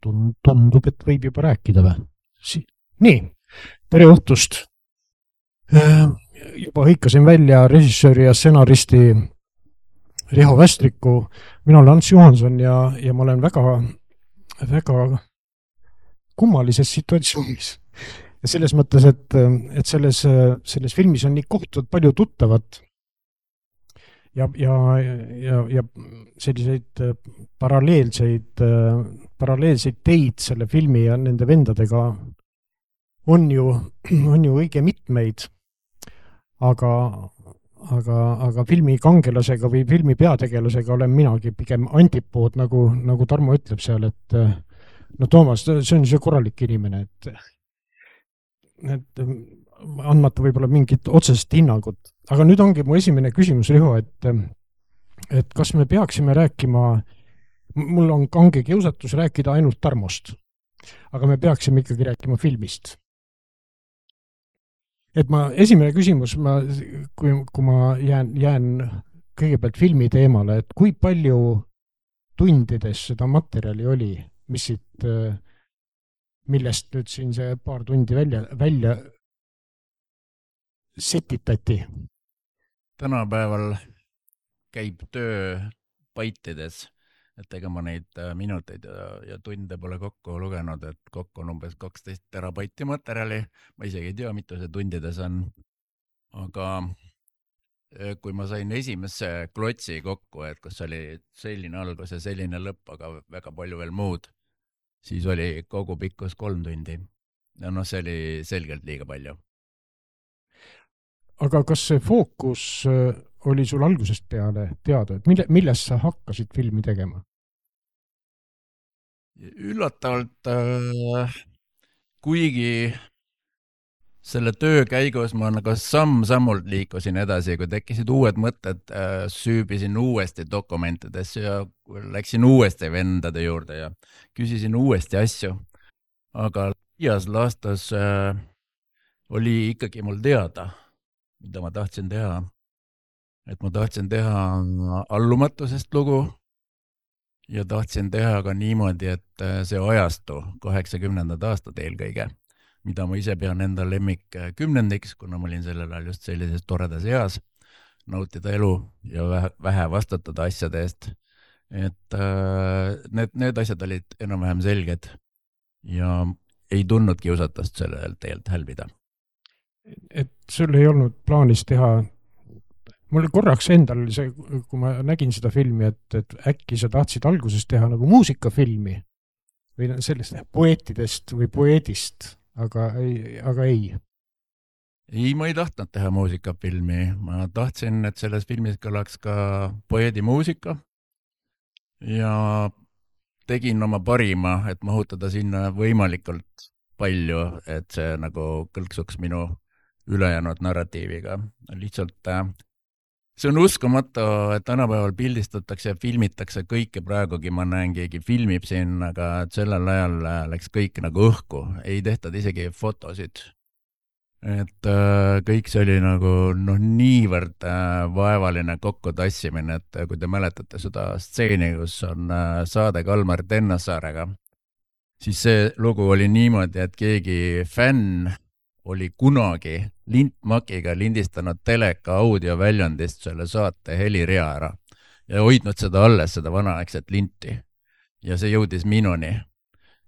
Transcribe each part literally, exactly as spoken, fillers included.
Tundub, et võib juba rääkida või? Si- Nii, tere õhtust. Juba hõikasin välja režissööri ja stsenaristi Riho Västriku. Mina olen Ants Johanson ja, ja ma olen väga, väga kummalises situatsioonis. Ja selles mõttes, et, et selles, selles filmis on nii kohtud palju tuttavat ja, ja, ja, ja selliseid paralleelseid, paralleelseid teid selle filmi ja nende vendadega on ju, on ju õige mitmeid, aga, aga, aga filmi kangelasega või filmi peategelasega olen minagi pigem antipood, nagu, nagu Tarmo ütleb seal, et no Toomas, see on see korralik inimene, et et andmata võib-olla mingit otsest hinnangut. Aga nüüd ongi mu esimene küsimus, Riho, et, et kas me peaksime rääkima, mul on kange kiusatus rääkida ainult Tarmost, aga me peaksime ikkagi rääkima filmist. Et ma, esimene küsimus, ma, kui, kui ma jään, jään kõigepealt filmi teemale, et kui palju tundides seda materjali oli, mis siit millest nüüd siin see paar tundi välja, välja setitati? Tänapäeval käib töö paitides, et ega ma neid minuteid ja, ja tunde pole kokku lugenud, et kokku on umbes kaksteist terabaiti materjali. Ma isegi ei tea, mitu see tundides on. Aga kui ma sain esimesse klotsi kokku, et kus oli selline algus ja selline lõpp, aga väga palju veel muud, siis oli kogu pikkus kolm tundi. Ja noh, see oli selgelt liiga palju. Aga kas see fookus oli sul algusest peale teada, et mille, millest sa hakkasid filmi tegema? Üllatavalt, äh, kuigi selle töö käigus ma nagu samm-sammult liikusin edasi, kui tekkisid uued mõtted, äh, süübisin uuesti dokumentides ja läksin uuesti vendade juurde ja küsisin uuesti asju. Aga ias laastas äh, oli ikkagi mul teada, mida ma tahtsin teha. Et ma tahtsin teha allumatusest lugu ja tahtsin teha ka niimoodi, et see ajastu kaheksakümnendad aastad eelkõige, mida ma ise pean enda lemmik kümnendiks, kuna ma olin sellel ajal just sellises toredas eas, nautida elu ja vähe, vähe vastutada asjade eest. Et äh, need, need asjad olid enam-vähem selged ja ei tundnud kiusatust sellel teelt hälbida. Et sul ei olnud plaanis teha, mul korraks endal see, kui ma nägin seda filmi, et, et äkki sa tahtsid alguses teha nagu muusikafilmi või sellest poeetidest või poeedist, aga ei, aga ei. Ei, ma ei tahtnud teha muusikafilmi. Ma tahtsin, et selles filmis kõlaks ka poeedi muusika ja tegin oma parima, et mahutada sinna võimalikult palju, et see nagu kõlksuks minu ülejäänud narratiiviga. Lihtsalt see on uskumatu, et tänapäeval pildistatakse ja filmitakse kõike praegugi, ma näen keegi filmib siin, aga sellel ajal läks kõik nagu õhku, ei tehtud isegi fotosid. Et äh, kõik see oli nagu noh, niivõrd äh, vaevaline kokkutassimine, et kui te mäletate seda stseeni, kus on äh, saade Kalmar Tennassaarega, siis see lugu oli niimoodi, et keegi fänn oli kunagi lintmakiga lindistanud teleka audioväljundist selle saate helirea ära ja hoidnud seda alles, seda vanaaegset linti. Ja see jõudis minuni.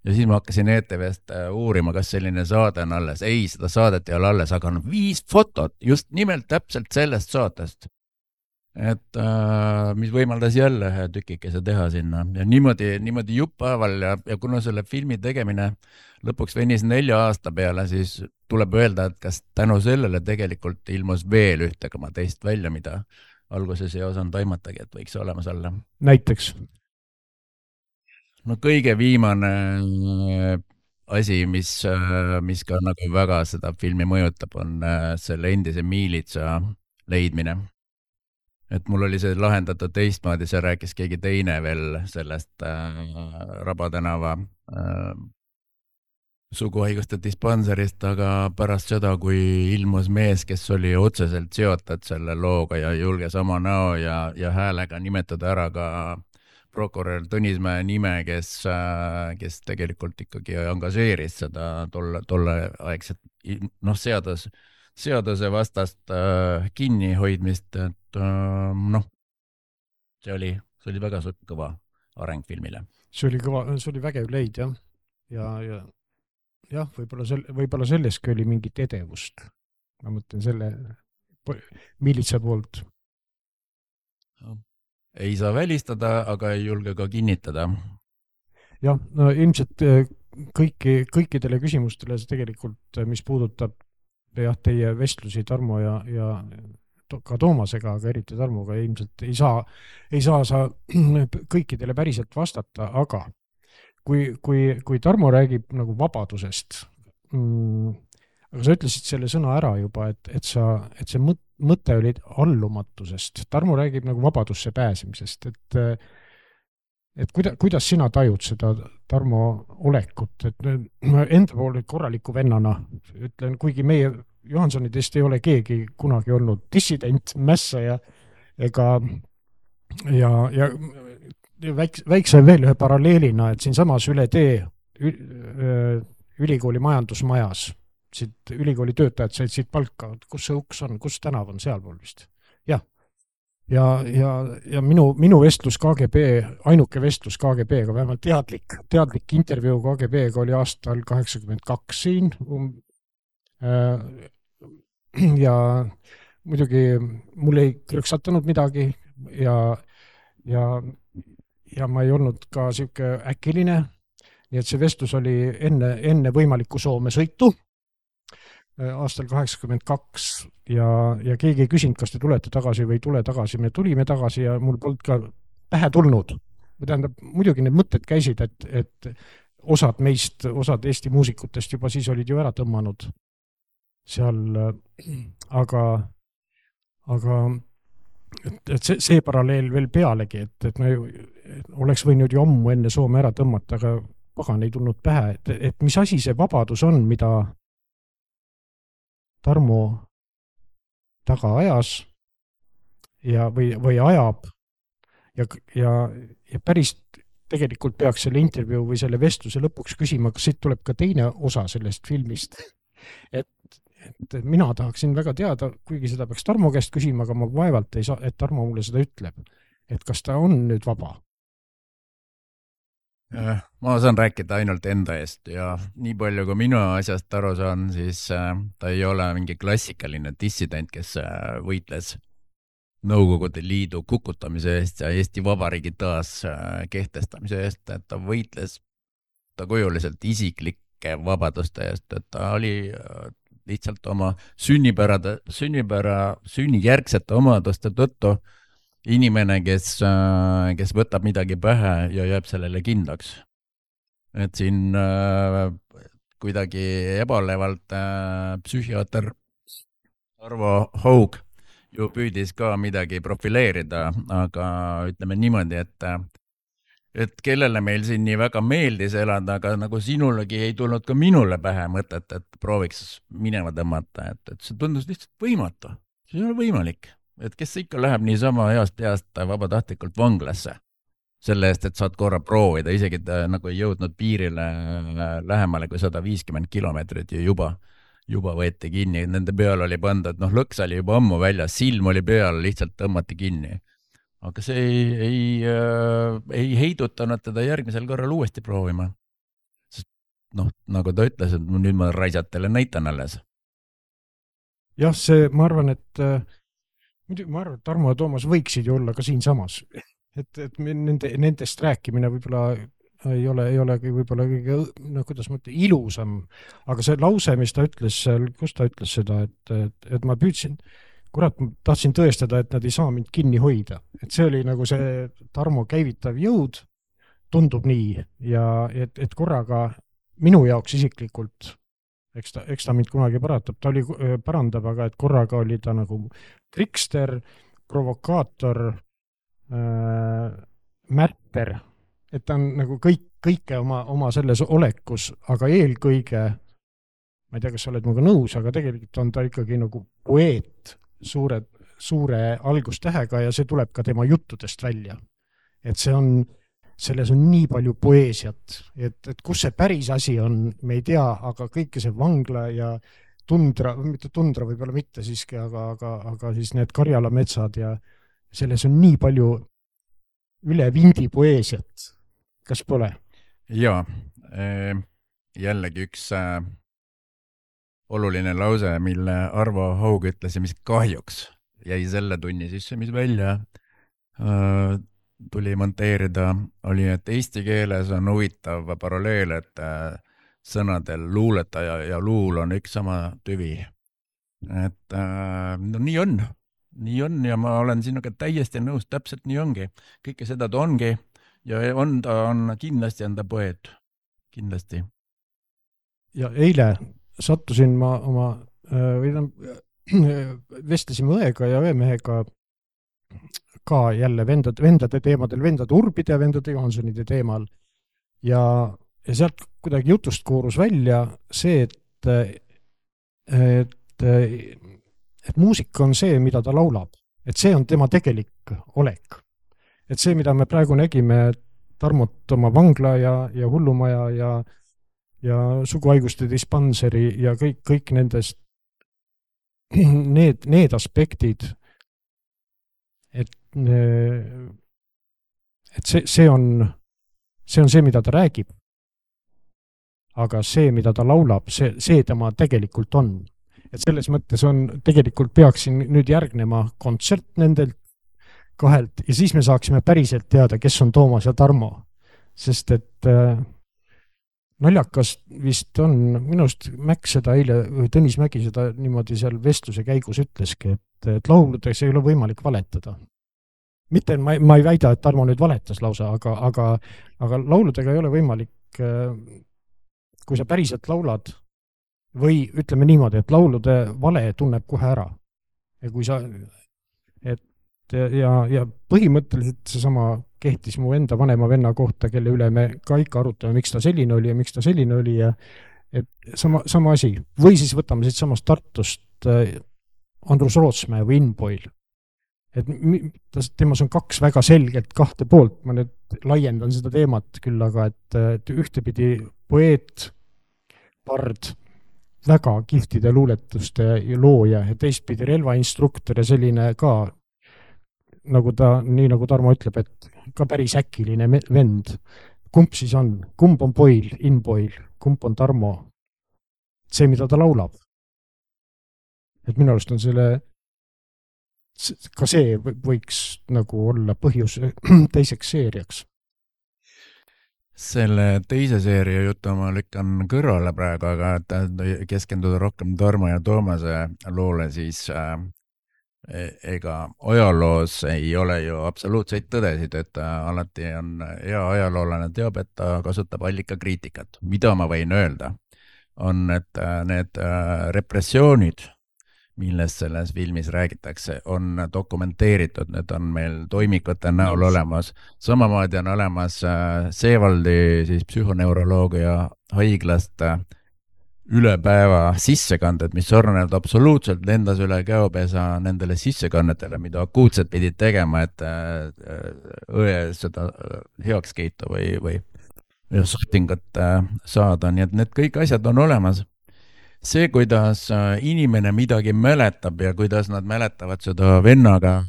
Ja siis ma hakkasin E T V-st uurima, kas selline saade on alles. Ei, seda saadet ei ole alles, aga on viis fotot just nimelt täpselt sellest saatest. Et äh, mis võimaldas jälle tükikese teha sinna. Ja niimoodi, niimoodi juppaaval ja, ja kuna selle filmi tegemine lõpuks venis nelja aasta peale, siis tuleb öelda, et kas tänu sellele tegelikult ilmus veel ühte koma teist välja, mida alguses ei osanud taimatagi, et võiks olemas olla. Näiteks? No kõige viimane asi, mis, mis ka nagu väga seda filmi mõjutab, on selle endise miilitsa leidmine. Et mul oli see lahendatud teistmoodi, see rääkis keegi teine veel sellest äh, Rabatänava äh, suguhaiguste dispanserist, aga pärast seda, kui ilmus mees, kes oli otseselt seotud selle looga ja julges oma näo ja, ja häälega nimetada ära ka prokurör Tõnismäe nime, kes, kes tegelikult ikkagi engažeeris seda tolle, tolle aegset, noh, seadus, seaduse vastast äh, kinnihoidmist, et äh, noh, see oli, see oli väga kõva areng filmile. See oli kõva, see oli vägev leid, jah. Ja, ja, jah, võib-olla, sel, võib-olla selleski oli mingit edevust. Ma mõtlen selle miilitsa poolt. Ei saa välistada, aga ei julge ka kinnitada. Jah, no ilmselt kõiki, kõikidele küsimustele see tegelikult, mis puudutab jah, teie vestlusi Tarmo ja, ja ka Toomasega, aga eriti Tarmoga ilmselt ei saa, ei saa sa kõikidele päriselt vastata, aga kui, kui, kui Tarmo räägib nagu vabadusest, mm, aga sa ütlesid selle sõna ära juba, et, et, sa, et see mõte oli allumatusest. Tarmo räägib nagu vabadusse pääsemisest, et, et kuida, kuidas sina tajud seda Tarmo olekut, et ma enda poole korraliku vennana ütlen, kuigi meie Johansonidest ei ole keegi kunagi olnud dissident, mässaja ega ja, ja väikse, väikse veel ühe paralleelina, et siin samas üle tee ülikooli majandusmajas, siit ülikooli töötajad said siit palka, kus see uks on, kus tänav on, sealpool vist. Jah. Ja, ja, ja minu, minu vestlus K G B, ainuke vestlus K G B-ga, vähemalt teadlik, teadlik intervjuu K G B-ga oli aastal kaheksakümmend kaks siin um, äh, ja muidugi mul ei krõksatanud midagi ja, ja, ja ma ei olnud ka siuke äkiline, nii et see vestlus oli enne, enne võimalikku Soome sõitu aastal kaheksakümmend kaks ja, ja keegi ei küsinud, kas te tulete tagasi või ei tule tagasi. Me tulime tagasi ja mul polnud ka pähe tulnud. Tähendab, muidugi need mõtted käisid, et, et osad meist, osad Eesti muusikutest juba siis olid ju ära tõmmanud seal, aga, aga et, et see, see paralleel veel pealegi, et, et me oleks võinud ju ammu enne Soome ära tõmmata, aga pagan ei tulnud pähe, et, et mis asi see vabadus on, mida Tarmo taga ajas ja, või, või ajab ja, ja, ja päris tegelikult peaks selle intervjuu või selle vestluse lõpuks küsima, kas siit tuleb ka teine osa sellest filmist. Et, et mina tahaksin väga teada, kuigi seda peaks Tarmo käest küsima, aga ma vaevalt ei saa, et Tarmo mulle seda ütleb, et kas ta on nüüd vaba. Ma saan rääkida ainult enda eest ja nii palju, kui minu asjast aru saan, siis ta ei ole mingi klassikaline dissident, kes võitles Nõukogude Liidu kukutamise eest ja Eesti Vabariigi taas kehtestamise eest, et ta võitles ta kujuliselt isiklike vabaduste eest, et ta oli lihtsalt oma sünnipärade, sünnipära, sünnijärgsete omaduste tõttu inimene, kes, kes võtab midagi pähe ja jääb sellele kindlaks. Et siin äh, kuidagi ebalevalt äh, psühhiaater Arvo Haug ju püüdis ka midagi profileerida, aga ütleme niimoodi, et, et kellele meil siin nii väga meeldis elada, aga nagu sinulegi ei tulnud ka minule pähe mõtet, et prooviks minema tõmmata, et, et see tundus lihtsalt võimatu. See ei ole võimalik. Et kes ikka läheb niisama heast peast vabatahtlikult vanglasse selle eest, et saad korra proovida, isegi ta nagu ei jõudnud piirile lähemale kui sada viiskümmend kilomeetrit ja juba, juba võeti kinni. Nende peal oli pandud, noh, lõks oli juba ammu väljas, silm oli peal, lihtsalt tõmmati kinni. Aga see ei, ei, äh, ei heidutanud teda järgmisel korral uuesti proovima. Sest, noh, nagu ta ütles, et nüüd ma raisatele näitan alles. Jah, see, ma arvan, et muidugi ma arvan, et Tarmo ja Toomas võiksid ju olla ka siin samas. Et, et nende, nendest rääkimine võib-olla ei ole, ei ole võib-olla kõige, no kuidas mõte, ilusam. Aga see lause, mis ta ütles seal, kus ta ütles seda, et, et, et ma püüdsin, kurat, ma tahtsin tõestada, et nad ei saa mind kinni hoida. Et see oli nagu see Tarmo käivitav jõud, tundub nii. Ja et, et korraga minu jaoks isiklikult, eks ta, eks ta mind kunagi paratab, ta oli, parandab, aga et korraga oli ta nagu trikster, provokaator, äh, märter, et ta on nagu kõik, kõike oma, oma selles olekus, aga eelkõige, ma ei tea, kas sa oled minuga nõus, aga tegelikult on ta ikkagi nagu poeet suure, suure algustähega ja see tuleb ka tema juttudest välja. Et see on, selles on nii palju poeesiat, et, et kus see päris asi on, me ei tea, aga kõike see vangla ja tundra, mitte tundra võib-olla mitte siiski, aga, aga, aga siis need Karjala metsad ja selles on nii palju üle vindi poeesiat. Kas pole? Jaa, jällegi üks oluline lause, mille Arvo Haug ütles ja mis kahjuks jäi selle tunni sisse, mis välja tuli monteerida, oli, et eesti keeles on huvitav paralleel, et sõnadel luuletaja ja luul on üks sama tüvi. Et no nii on, nii on ja ma olen sinuga täiesti nõus, täpselt nii ongi. Kõike seda ta ongi ja on ta on kindlasti enda poeet, kindlasti. Ja eile sattusin ma oma, või vestlesime õega ja õemehega ka jälle vendade, vendade teemadel, vendade Urbide ja vendade Johansonide teemal. Ja, ja sealt kuidagi jutust koorus välja see, et, et, et muusika on see, mida ta laulab. Et see on tema tegelik olek. Et see, mida me praegu nägime Tarmot oma vangla ja, ja hullumaja ja, ja suguhaiguste dispanseri ja kõik, kõik nendest need, need aspektid, et et see, see on see on see, mida ta räägib. Aga see, mida ta laulab, see, see tema tegelikult on. Et selles mõttes on, tegelikult peaksin nüüd järgnema kontsert nendelt kahelt ja siis me saaksime päriselt teada, kes on Toomas ja Tarmo. Sest et äh, naljakas vist on, minust Mäkk seda eile, Tõnis Mägi seda niimoodi seal vestluse käigus ütleski, et, et lauludes ei ole võimalik valetada. Mitte, ma, ma ei väida, et Tarmo nüüd valetas lausa, aga, aga, aga lauludega ei ole võimalik, kui sa päriselt laulad, või ütleme niimoodi, et laulude vale tunneb kohe ära. Ja kui sa, et ja, ja põhimõtteliselt seesama kehtis mu enda vanema venna kohta, kelle üle me ka ikka arutame, miks ta selline oli ja miks ta selline oli ja et sama, sama asi. Või siis võtame siit samast Tartust Andrus Rootsmäe või Inboil. Et temas on kaks väga selgelt kahte poolt, ma nüüd laiendan seda teemat küll, aga et, et ühtepidi poeet, pard, väga kihtide luuletuste looja ja teistpidi relvainstruktor ja selline ka, nagu ta, nii nagu Tarmo ütleb, et ka päris äkiline vend. Kumb siis on? Kumb on Boil, Inboil, kumb on Tarmo? See, mida ta laulab. Et minu arust on selle ka see võiks nagu olla põhjus teiseks seeriaks. Selle teise seeria jutu ma lükkan kõrvale praegu, aga et keskenduda rohkem Tarmo ja Toomase loole, siis äh, ega ajaloos ei ole ju absoluutseid tõdesid, et alati on hea ajaloolane teab, et ta kasutab allikakriitikat. Mida ma võin öelda, on, et need äh, repressioonid, millest selles filmis räägitakse, on dokumenteeritud, need on meil toimikute näol olemas. Samamoodi on olemas Seevaldi siis psühhoneuroloogia haiglast üle päeva sissekanded, mis sornevad absoluutselt lendas üle käopesa nendele sissekannetele, mida akuutselt pidid tegema, et õe seda heaks kiitu või, või suhtingut saada. Nii et need kõik asjad on olemas. See, kuidas inimene midagi mäletab ja kuidas nad mäletavad seda vennaga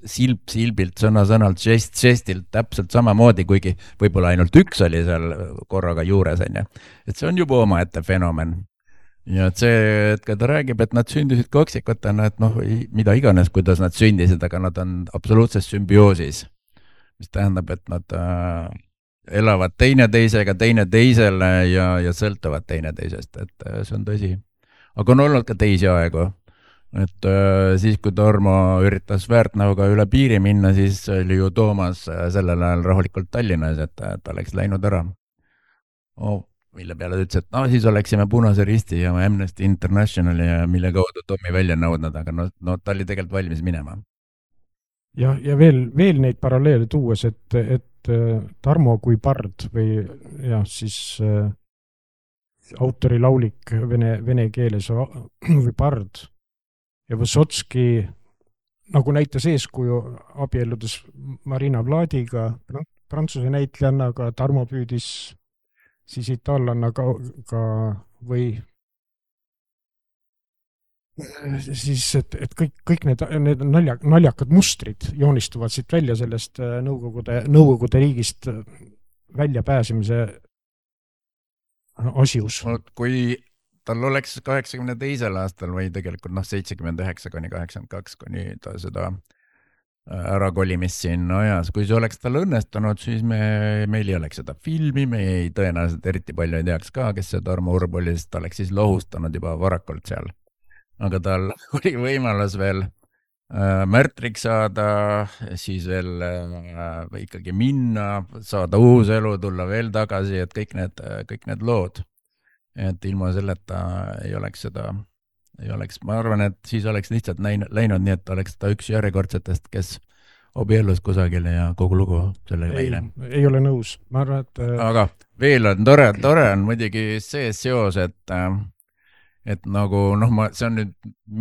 silp silbilt, sõna-sõnalt, žest, žestilt täpselt samamoodi, kuigi võib-olla ainult üks oli seal korraga juures. Et see on juba oma ette fenomen. Ja et see, et ta räägib, et nad sündisid kaksikutena, et noh, mida iganes, kuidas nad sündisid, aga nad on absoluutses sümbioosis. Mis tähendab, et nad äh, elavad teine teisega, teine teisele ja, ja sõltuvad teine teisest, et see on tõsi. Aga on olnud ka teisi aegu, et äh, siis kui Tarmo üritas Väärtnauga üle piiri minna, siis oli ju Toomas sellel ajal rahulikult Tallinnas, et ta oleks läinud ära. Oh, mille peale ütles, et no siis oleksime Punase Risti ja Amnesty Internationali, mille kaudu Tommi välja nõudnud, aga no, no ta oli tegelikult valmis minema. Ja, ja veel, veel neid paralleele tuues, et, et Tarmo kui pard või ja, siis äh, autori laulik vene, vene keeles või pard ja Vysotski nagu näitas eeskuju abielludes Marina Vladiga, prantsuse näitlejannaga, Tarmo püüdis siis itaallannaga ka või siis, et, et kõik, kõik need, need nalja, naljakad mustrid joonistuvad siit välja sellest Nõukogude, Nõukogude riigist välja pääsemise asjus. Kui tal oleks kaheksakümne teisel aastal või tegelikult noh, seitsekümmend üheksa kuni kaheksakümmend kaks, kuni ta seda ärakolimist siin ajas, kui see oleks tal õnnestunud, siis me, meil ei oleks seda filmi, me ei tõenäoliselt eriti palju ei teaks ka, kes see Tarmo Urb oli, sest ta oleks siis lohustanud juba varakult seal. Aga tal oli võimalus veel äh, märtriks saada, siis veel äh, ikkagi minna, saada uus elu, tulla veel tagasi, et kõik need, kõik need lood. Et ilma selleta ei oleks seda, ei oleks, ma arvan, et siis oleks lihtsalt läinud, läinud nii, et oleks ta üks järjekordsetest, kes abiellus kusagile ja kogu lugu sellega ei, ei ole nõus. Ma arvan, et... Aga veel on tore, tore on muidugi see seos, et äh, et nagu, noh, ma, see on nüüd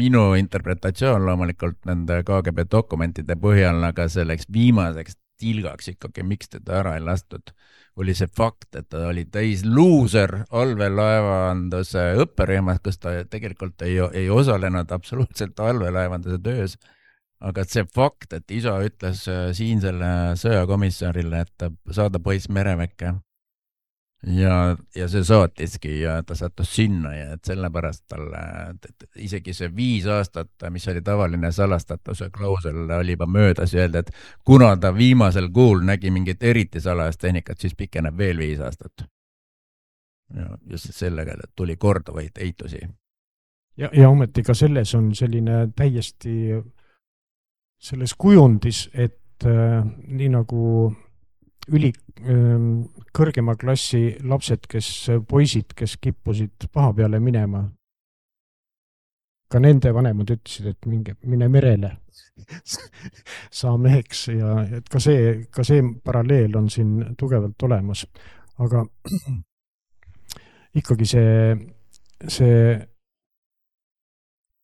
minu interpretatsioon loomulikult nende K G B dokumentide põhjal, aga selleks viimaseks tilgaks ikkagi, miks teda ära ei lastud, oli see fakt, et ta oli täis luuser allveelaevanduse õpperühmas, kus ta tegelikult ei, ei osalenud absoluutselt allveelaevanduse töös, aga see fakt, et isa ütles siin selle sõjakomissarile, et saada poiss mereväkke, Ja, ja see saatiski ja ta sattus sinna ja et sellepärast talle isegi see viis aastat, mis oli tavaline salastatuse klausel, oli juba möödas ja öelda, et kuna ta viimasel kuul nägi mingit eriti salajast tehnikat, siis pikeneb veel viis aastat. Ja just sellega tuli korduvaid eitusi. Ja, ja ometi ka selles on selline täiesti selles kujundis, et äh, nii nagu üli kõrgema klassi lapsed, kes poisid, kes kippusid paha peale minema. Ka nende vanemad ütlesid, et minge, mine merele, saa meheks ja et ka see, ka see paralleel on siin tugevalt olemas. Aga ikkagi see, see,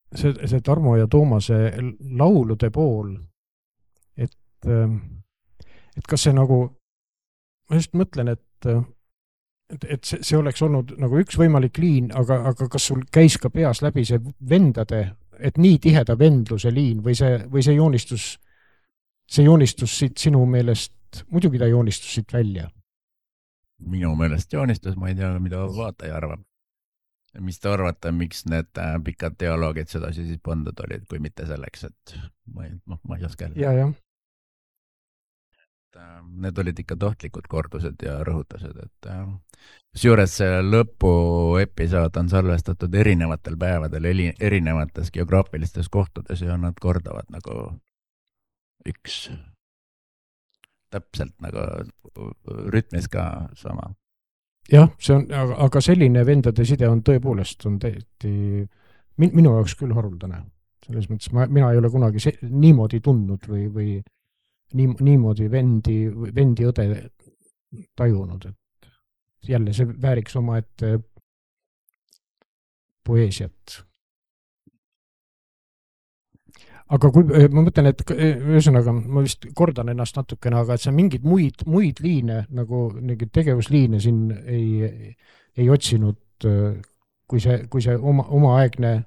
see, see Tarmo ja Toomase laulude pool, et, et kas see nagu ma just mõtlen, et, et, et see, see oleks olnud nagu üks võimalik liin, aga, aga kas sul käis ka peas läbi see vendade, et nii tiheda vendluse liin või see, või see joonistus, see joonistus siit sinu meelest, muidugi ta joonistus siit välja? Minu meelest joonistus, ma ei tea, mida vaataja arvab. Mis te arvate, miks need pikad dialoogid sedasi siis pandud olid, kui mitte selleks, et ma ei, ma, ma ei oska jälle. Ja, jah. Need olid ikka tohtlikud kordused ja rõhutased, et seejuures see lõpu episood on salvestatud erinevatel päevadel, erinevates geograafilistes kohtades ja nad kordavad nagu üks täpselt nagu rütmis ka sama. Jah, see on, aga, aga selline vendade side on tõepoolest on täiesti min, minu jaoks küll haruldane. Selles mõttes ma, mina ei ole kunagi se, niimoodi tundnud või, või Nii, niimoodi vendi, vendi õde tajunud, et jälle see vääriks oma ette poeesiat. Aga kui, ma mõtlen, et ühesõnaga, ma vist kordan ennast natukene, aga et see mingid muid, muid liine, nagu mingid tegevusliine siin ei, ei otsinud, kui see, kui see oma, omaaegne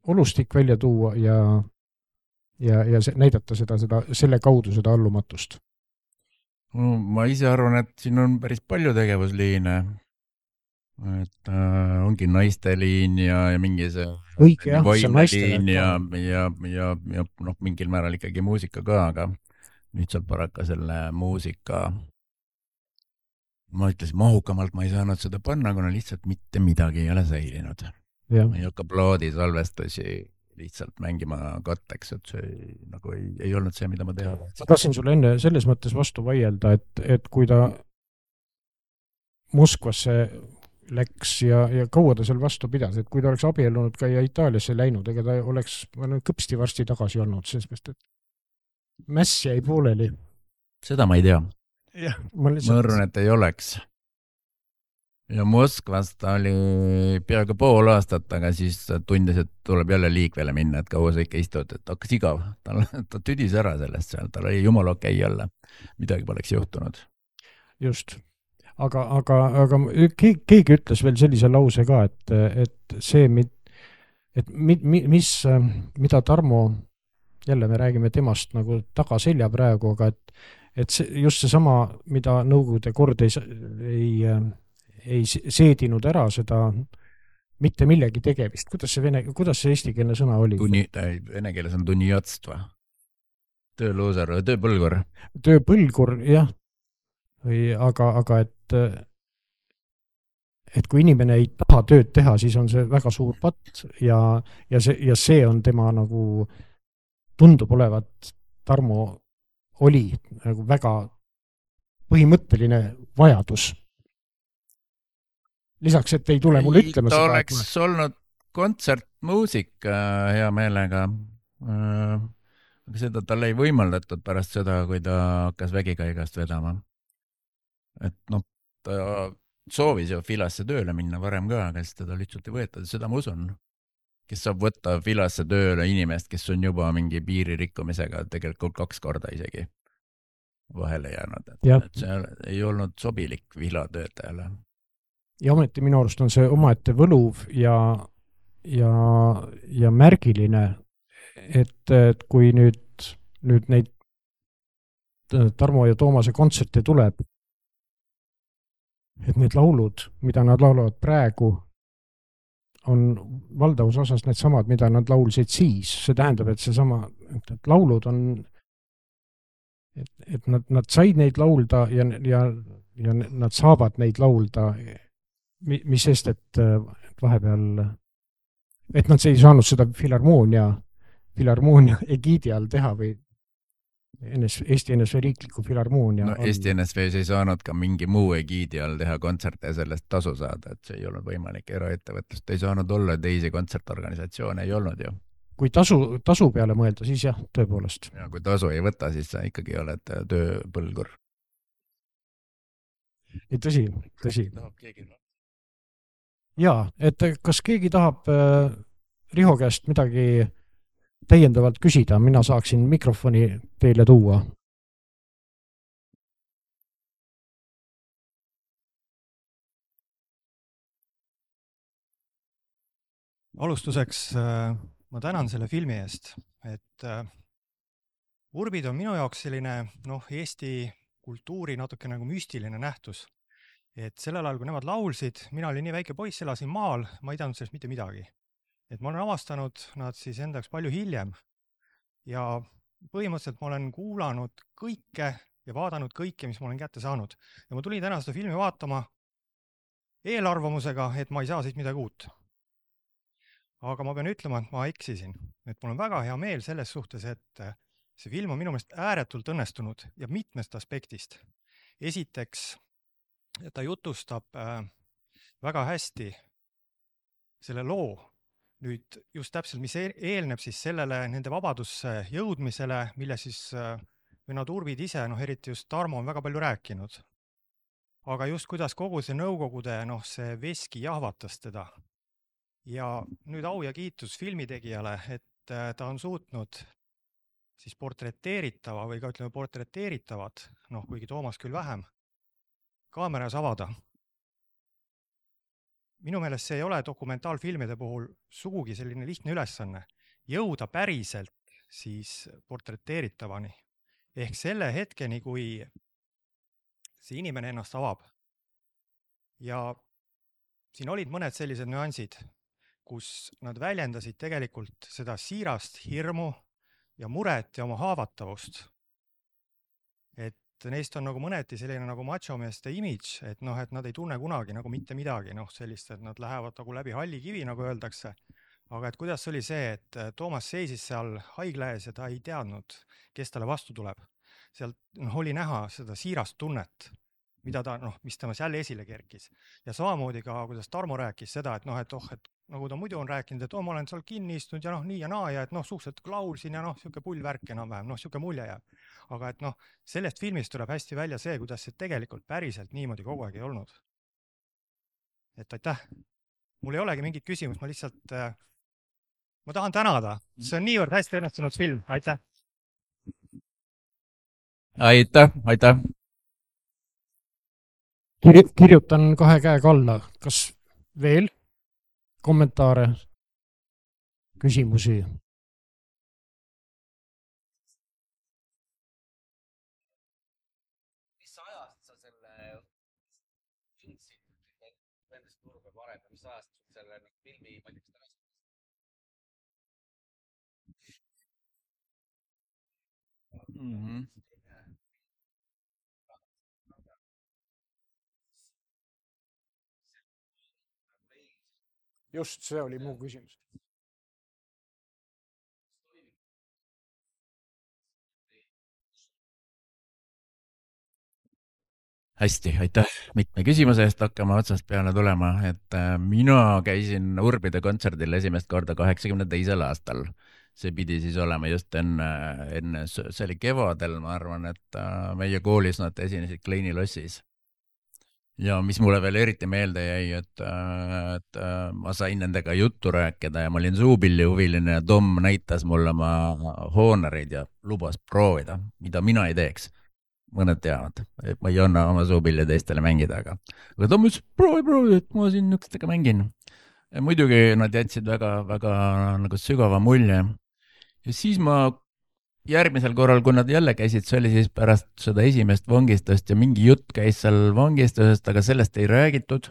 olustik välja tuua ja ja, ja see, näidata seda, seda, selle kaudu seda allumatust? No, ma ise arvan, et siin on päris palju tegevusliine. Et äh, ongi naiste liin ja, ja mingi see õige, jah, see naiste liin ja, ja, ja, ja noh, mingil määral ikkagi muusika ka, aga nüüd saab paraka selle muusika ma ütlesin, mahukamalt ma ei saanud seda panna, kuna lihtsalt mitte midagi ei ole säilinud. Ja. Ma ei hakka plaadi salvestusi lihtsalt mängima katteks, et see nagu ei, ei olnud see, mida ma teha. Ma tahtsin sulle enne selles mõttes vastu vaielda, et, et kui ta Moskvasse läks ja, ja kaua ta seal vastu pidas, et kui ta oleks abiellunud ka ja Itaaliasse läinud, ega ta oleks kõpsti varsti tagasi olnud, sest et mäss jäi pooleli. Seda ma ei tea. Ja, ma, lihtsalt... ma arvan, et ei oleks. ja Moskvas ta oli peaaegu pool aastat, aga siis tundis, et tuleb jälle liikvele minna, et kaua sa ikka istud, et hakkas igav. Ta, ta tüdis ära sellest seal, tal oli jumala okei jälle. Midagi poleks juhtunud. Just. Aga, aga, aga keegi, keegi ütles veel sellise lause ka, et, et see, et mi, mi, mis, mida Tarmo, jälle me räägime temast nagu tagaselja praegu, aga et, et see, just seesama, mida Nõukogude kord ei, ei, ei seedinud ära seda mitte millegi tegemist. Kuidas see, vene, kuidas see eestikeelne sõna oli? Tunni, vene keeles on tunniotstva. Tööluusar, tööpõlgur. Tööpõlgur, jah. Või, aga, aga et, et kui inimene ei taha tööd teha, siis on see väga suur patt ja, ja, see, ja see on tema nagu tundub olevat, Tarmo oli nagu väga põhimõtteline vajadus. Lisaks, et ei tule mulle ütlema ta seda. Ta oleks ma... olnud kontsertmuusika hea meelega. Aga seda talle ei võimaldatud pärast seda, kui ta hakkas vägikaigast vedama. Et noh, ta soovis ju Filasse tööle minna varem ka, aga siis teda lihtsalt ei võeta. Seda ma usun. Kes saab võtta Filasse tööle inimest, kes on juba mingi piiririkkumisega tegelikult kaks korda isegi vahele jäänud. Et, et see ei olnud sobilik Filatöötajale. Ja ometi minu arust on see omaette võluv ja, ja, ja märgiline, et, et kui nüüd, nüüd neid Tarmo ja Toomase kontserte tuleb, et need laulud, mida nad laulavad praegu, on valdavus osas need samad, mida nad laulsid siis. See tähendab, et see sama, et, et laulud on, et, et nad, nad said neid laulda ja, ja, ja nad saavad neid laulda, mis sest, et, et vahepeal, et nad ei saanud seda filharmoonia, filharmoonia egiidi all teha või Eesti N S V riikliku filharmoonia. No, Eesti N S V-s ei saanud ka mingi muu egiidi all teha kontserte ja sellest tasu saada, et see ei olnud võimalik. Eraettevõtlust ei saanud olla, teisi kontsertorganisatsioone ei olnud ju. Kui tasu, tasu peale mõelda, siis jah, tõepoolest. Ja kui tasu ei võta, siis sa ikkagi oled tööpõlgur. Ei, tõsi, tõsi. Jaa, et kas keegi tahab äh, Riho käest midagi täiendavalt küsida, mina saaksin mikrofoni teile tuua. Alustuseks äh, ma tänan selle filmi eest, et äh, urbid on minu jaoks selline noh, Eesti kultuuri natuke nagu müstiline nähtus. Et sellel ajal, kui nemad laulsid, mina olin nii väike poiss, elasin maal, ma ei teadnud sellest mitte midagi. Et ma olen avastanud nad siis endaks palju hiljem ja põhimõtteliselt ma olen kuulanud kõike ja vaadanud kõike, mis ma olen kätte saanud. Ja ma tulin täna seda filmi vaatama eelarvamusega, et ma ei saa siit midagi uut. Aga ma pean ütlema, et ma eksisin. Et mul on väga hea meel selles suhtes, et see film on minu meelest ääretult õnnestunud ja mitmest aspektist. Esiteks, ta jutustab väga hästi selle loo, nüüd just täpselt, mis eelneb siis sellele nende vabadusse jõudmisele, mille siis nad urbid ise, noh eriti just Tarmo on väga palju rääkinud. Aga just kuidas kogu see Nõukogude, noh see veski jahvatas teda. Ja nüüd au ja kiitus filmitegijale, et ta on suutnud siis portreteeritava või ka ütleme portreteeritavad, noh kuigi Toomas küll vähem, kaameras avada. Minu meelest see ei ole dokumentaalfilmide puhul sugugi selline lihtne ülesanne. Jõuda päriselt siis portreteeritavani. Ehk selle hetkeni, kui see inimene ennast avab. Ja siin olid mõned sellised nüansid, kus nad väljendasid tegelikult seda siirast hirmu ja muret ja oma haavatavust. Et neist on nagu mõneti selline nagu machomeeste imidž, et noh, et nad ei tunne kunagi nagu mitte midagi, noh sellist, et nad lähevad nagu läbi halli kivi, nagu öeldakse. Aga et kuidas oli see, et Toomas seisis seal haigla ees ja ta ei teadnud, kes talle vastu tuleb. Sealt noh, oli näha seda siirast tunnet, mida ta, noh, mis temas jälle esile kerkis. Ja samamoodi ka, kuidas Tarmo rääkis seda, et noh, et oh, et nagu ta muidu on rääkinud, et oh, ma olen seal kinni istunud ja noh, nii ja naa ja et noh, suhteliselt laulsin ja noh, siuke pullvärk enam-vähem, noh, siuke mulje jääb. Aga et noh, sellest filmist tuleb hästi välja see, kuidas see tegelikult päriselt niimoodi kogu aeg ei olnud. et aitäh. Mul ei olegi mingit küsimust, ma lihtsalt, ma tahan tänada. See on niivõrd hästi õnnestunud film, aitäh. Aitäh, aitäh. Kir- kirjutan kahe käega alla. Kas veel kommentaare, küsimusi? Mis ajast sa selle filmsid, nendest turbe varem, mis ajast selle filmi valmis tagasi? Mm-hmm. Just, see oli muu küsimus. Hästi, aitäh mitme küsimuse eest, hakkama otsast peale tulema, et mina käisin Urbide kontserdil esimest korda kaheksakümne teisel aastal. See pidi siis olema just enne, enne, see oli kevadel, ma arvan, et meie koolis nad esinesid Kleini lossis. Ja mis mulle veel eriti meelde jäi, et, et ma sain nendega juttu rääkida ja ma olin suupilli huviline ja Tom näitas mulle oma hoonereid ja lubas proovida, mida mina ei teeks. Mõned teavad, et ma ei anna oma suupilli teistele mängida, aga, aga Tom ütles, proovi, proovi, et ma siin nükestega mängin. Ja muidugi nad jätsid väga, väga nagu sügava mulje. Ja siis ma järgmisel korral, kui nad jälle käisid, see oli siis pärast seda esimest vangistust ja mingi jutt käis seal vangistusest, aga sellest ei räägitud.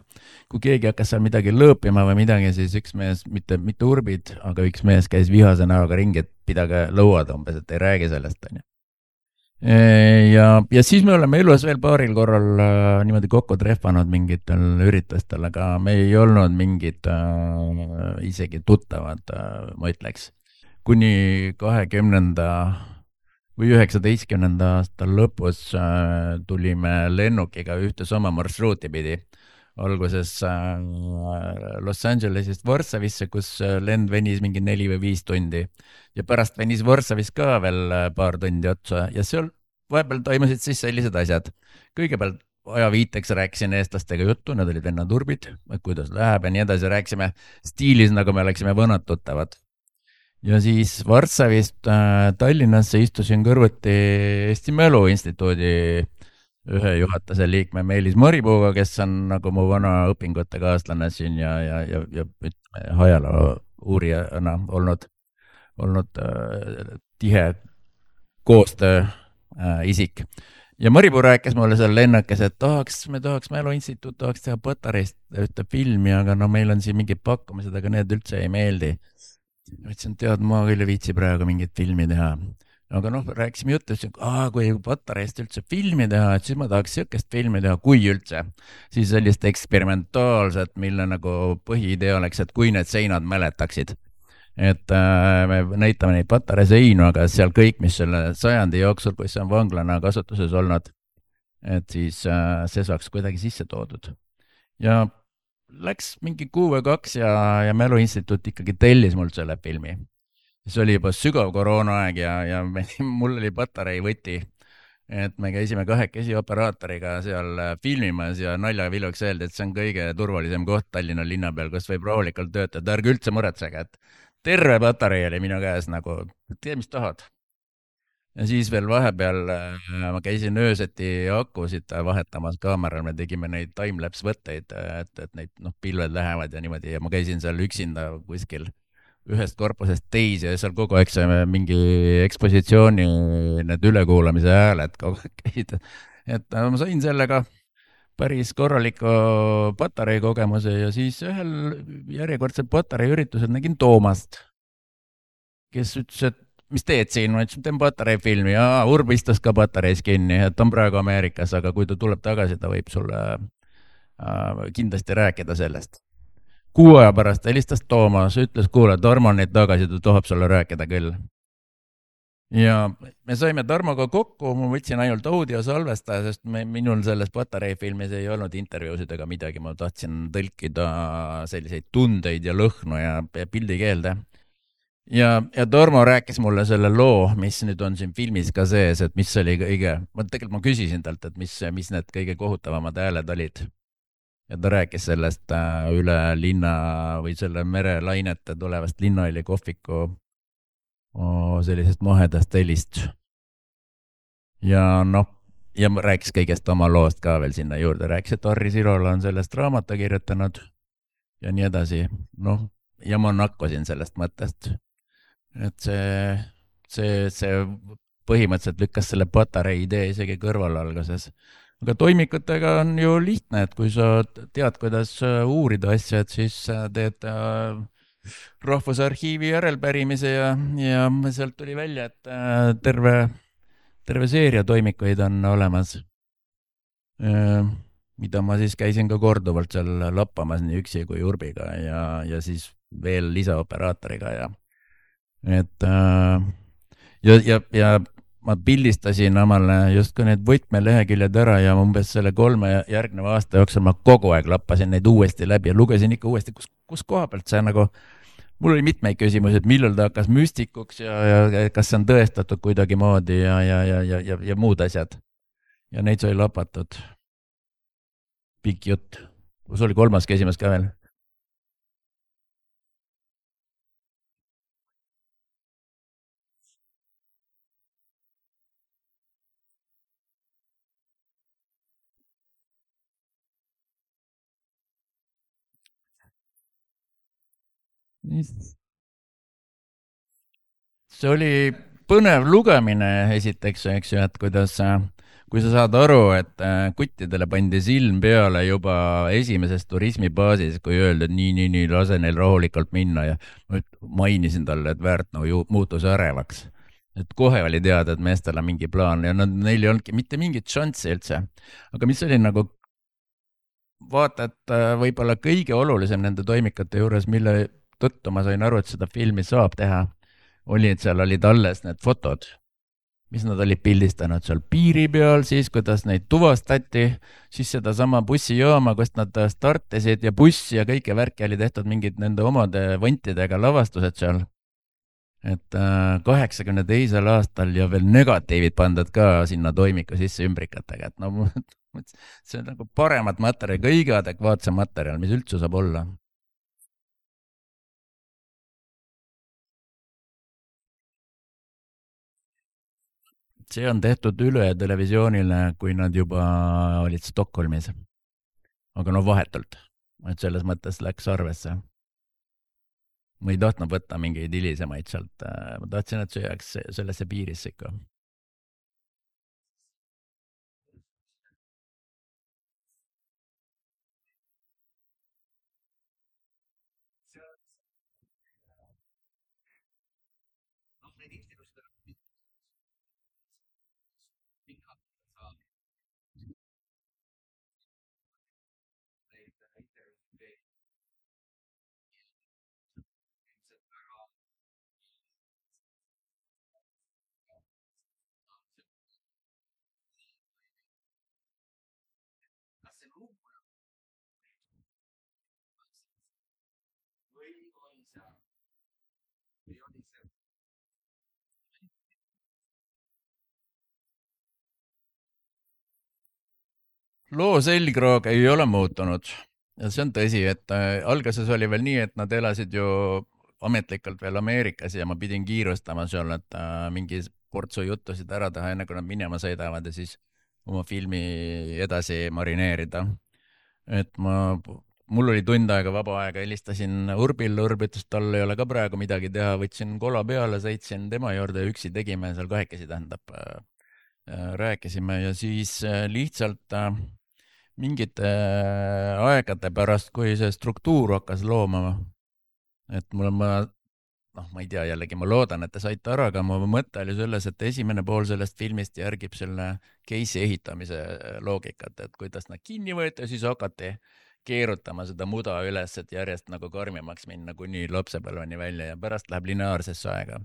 Kui keegi hakkas seal midagi lõõpima või midagi, siis üks mees, mitte, mitte Urbid, aga üks mees käis vihase näoga ringi, et pidage lõuad umbes, et ei räägi sellest. Ja, ja siis me oleme elus veel paaril korral äh, niimoodi kokku trehvanud mingitel üritustel, aga me ei olnud mingid äh, isegi tuttavad, äh, ma ütleks. Kuni kahekümnenda või üheksateistkümnenda aasta lõpus äh, tulime lennukiga ühte sama marsruuti pidi. Alguses äh, Los Angelesist Varssavisse, kus lend venis mingi neli või viis tundi. Ja pärast venis Varssavis ka veel paar tundi otsa. Ja seal vahepeal toimusid siis sellised asjad. Kõigepealt ajaviiteks rääkisin eestlastega juttu, nad olid vennad Urbid, kuidas läheb ja nii edasi. Rääkisime stiilis, nagu me oleksime vanad tuttavad. Ja siis Varssavist äh, Tallinnasse istusin kõrvuti Eesti Mälu Instituudi ühe juhatuse liikme Meelis Maripuuga, kes on nagu mu vana õpingute kaaslane siin ja, ja, ja, ja ajaloo uurijana olnud, olnud äh, tihe koostöö äh, isik. Ja Maripuu rääkis mulle seal lennakes, et tahaks, me tahaks Mälu Instituut, tahaks teha Patareist ühte filmi, aga no meil on siin mingid pakkumised, aga need üldse ei meeldi. Ma ütlesin, tead, ma küll ei viitsi praegu mingit filmi teha. Aga noh, rääkisime juttu, et kui Patareist üldse filmi teha, et siis ma tahaks siukest filmi teha, kui üldse. Siis sellist eksperimentaalset, mille nagu põhiidee oleks, et kui need seinad mäletaksid. Et äh, me näitame neid Patare seinu, aga seal kõik, mis selle sajandi jooksul, kui see on vanglana kasutuses olnud, et siis äh, see saaks kuidagi sisse toodud. Ja läks mingi kuu või kaks ja, ja Mälu Instituut ikkagi tellis mult selle filmi. See oli juba sügav koroonaaeg ja, ja me, mul oli Patarei võti, et me käisime kahekesi operaatoriga seal filmimas ja naljaviluks öeldi, et see on kõige turvalisem koht Tallinna linna peal, kus võib rahulikult töötada, ärge üldse muretsege, et terve Patarei oli minu käes nagu, tee mis tahad. Ja siis veel vahepeal ma käisin ööseti akusid vahetamas kaameral, me tegime neid timelapse võtteid, et, et neid noh, pilved lähevad ja niimoodi ja ma käisin seal üksinda kuskil ühest korpusest teisi ja seal kogu aeg see mingi ekspositsiooni need ülekuulamise hääled kogu aeg käid. Et ma sain sellega päris korraliku Patarei kogemuse ja siis ühel järjekordsel Patarei üritusel nägin Toomast, kes ütles, et mis teed siin? Ma ütlesin, teen Patarei filmi ja Urb istus ka Patareis kinni, et on praegu Ameerikas, aga kui ta tuleb tagasi, ta võib sulle äh, kindlasti rääkida sellest. Kuu aja pärast helistas Toomas, ütles, kuule, Tarmo on neid tagasi, ta tahab sulle rääkida küll. Ja me saime Tarmoga kokku, ma võtsin ainult audio salvestaja, sest me, minul selles Patarei filmis ei olnud intervjuusid ega midagi, ma tahtsin tõlkida selliseid tundeid ja lõhnu ja pildikeelde. Ja, ja Tarmo rääkis mulle selle loo, mis nüüd on siin filmis ka sees, et mis oli kõige, ma tegelikult ma küsisin talt, et mis, mis need kõige kohutavamad hääled olid. ja ta rääkis sellest äh, üle linna või selle merelainete tulevast Linnahalli kohviku oh, sellisest mahedast helist. ja noh, ja rääkis kõigest oma loost ka veel sinna juurde, rääkis, et Harri Sirola on sellest raamatu kirjutanud ja nii edasi. Noh, ja ma nakkusin sellest mõttest, et see, see, see põhimõtteliselt lükkas selle patarei idee isegi kõrvale alguses. Aga toimikutega on ju lihtne, et kui sa tead, kuidas uurida asja, et siis teed Rahvusarhiivi järelpärimise ja, ja sealt tuli välja, et terve, terve seeria toimikuid on olemas, mida ma siis käisin ka korduvalt seal lappamas nii üksi kui Urbiga ja, ja siis veel lisaoperaatoriga ja et ja, ja, ja ma pildistasin omale justkui need võtmeleheküljed ära ja umbes selle kolme järgneva aasta jooksul ma kogu aeg lappasin neid uuesti läbi ja lugesin ikka uuesti, kus, kus koha pealt see nagu, mul oli mitmeid küsimusi, et millal ta hakkas müstikuks ja, ja kas see on tõestatud kuidagi moodi ja, ja, ja, ja, ja, ja muud asjad. Ja neid sai lapatud. Pikk jutt. Kus oli kolmas küsimus ka veel? See oli põnev lugemine esiteks, eks ju, et kuidas, kui sa saad aru, et kuttidele pandi silm peale juba esimeses turismibaasis, kui öeldi, et nii, nii, nii, lase neil rahulikult minna ja mainisin talle, et Väärtnau ju muutus ärevaks. Et kohe oli teada, et meestel on mingi plaan ja nad, neil ei olnudki mitte mingit šanssi üldse. Aga mis oli nagu vaata, et võib-olla kõige olulisem nende toimikate juures, mille tõttu ma sain aru, et seda filmi saab teha, oli, et seal olid alles need fotod, mis nad olid pildistanud seal piiri peal, siis kuidas neid tuvastati, siis seda sama bussijaama, kust nad startisid ja bussi ja kõike värki oli tehtud mingid nende omade vantidega lavastused seal. Et kaheksakümne teisel aastal ja veel negatiivid pandud ka sinna toimiku sisse ümbrikatega, et no see on nagu paremat materjali, kõige adekvaatsem materjal, mis üldse saab olla. See on tehtud üle televisioonile, kui nad juba olid Stockholmis. Aga no vahetult, et selles mõttes läks arvesse. Ma ei tahtnud võtta mingeid hilisemaid sealt, ma tahtsin, et see jääks sellesse piirisse ikka. Loo selgroog ei ole muutunud ja see on tõsi, et alguses oli veel nii, et nad elasid ju ametlikult veel Ameerikas ja ma pidin kiirustama seal, et mingi portsu juttusid ära teha, enne kui nad minema sõidavad ja siis oma filmi edasi marineerida. Et ma, mul oli tund aega vaba aega, helistasin Urbile, Urb ütles, tal ei ole ka praegu midagi teha, võtsin kola peale, sõitsin tema juurde, üksi tegime seal kahekesi, tähendab, rääkisime ja siis lihtsalt mingite aegade pärast, kui see struktuur hakkas loomama, et mul on, ma, noh, ma ei tea, jällegi ma loodan, et te saite ära, aga mu mõte oli selles, et esimene pool sellest filmist järgib selle case'i ehitamise loogikat, et kuidas nad kinni võeti ja siis hakati keerutama seda muda üles, et järjest nagu karmimaks minna kuni lapsepõlveni välja ja pärast läheb lineaarsesse aega.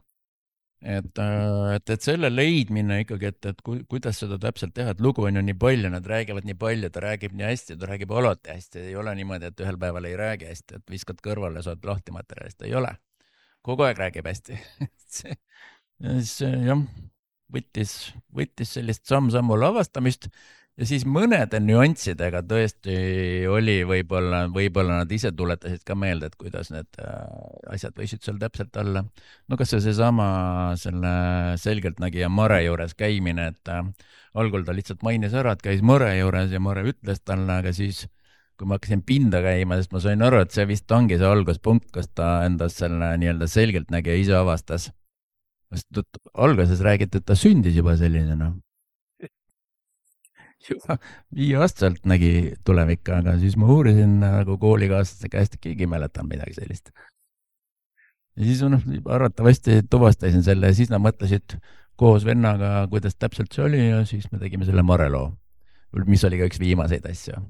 Et, et, et selle leidmine ikkagi, et, et ku, kuidas seda täpselt teha, et lugu on ju nii palju, nad räägivad nii palju, ta räägib nii hästi, ta räägib alati hästi, ei ole niimoodi, et ühel päeval ei räägi hästi, et viskad kõrvale, saad lahti materjalist, ei ole. Kogu aeg räägib hästi. see, see jah, võttis, võttis sellist samm-sammu lavastamist ja siis mõnede nüanssidega tõesti oli võib-olla, võib-olla nad ise tuletasid ka meelde, et kuidas need asjad võisid seal täpselt olla. No kas see seesama selle selgeltnägija Mare juures käimine, et algul ta lihtsalt mainis ära, et käis Mare juures ja Mare ütles talle, aga siis kui ma hakkasin pinda käima, sest ma sain aru, et see vist ongi see alguspunkt, kus ta endast selle nii-öelda selgeltnägija ise avastas. Alguses räägiti, et ta sündis juba sellisena. Juba viieaastaselt nägi tulevikku, aga siis ma uurisin nagu koolikaaslaste käest, et keegi mäletab midagi sellist. Ja siis noh, arvatavasti tuvastasin selle ja siis nad mõtlesid koos vennaga, kuidas täpselt see oli ja siis me tegime selle Mare loo, mis oli ka üks viimaseid asju.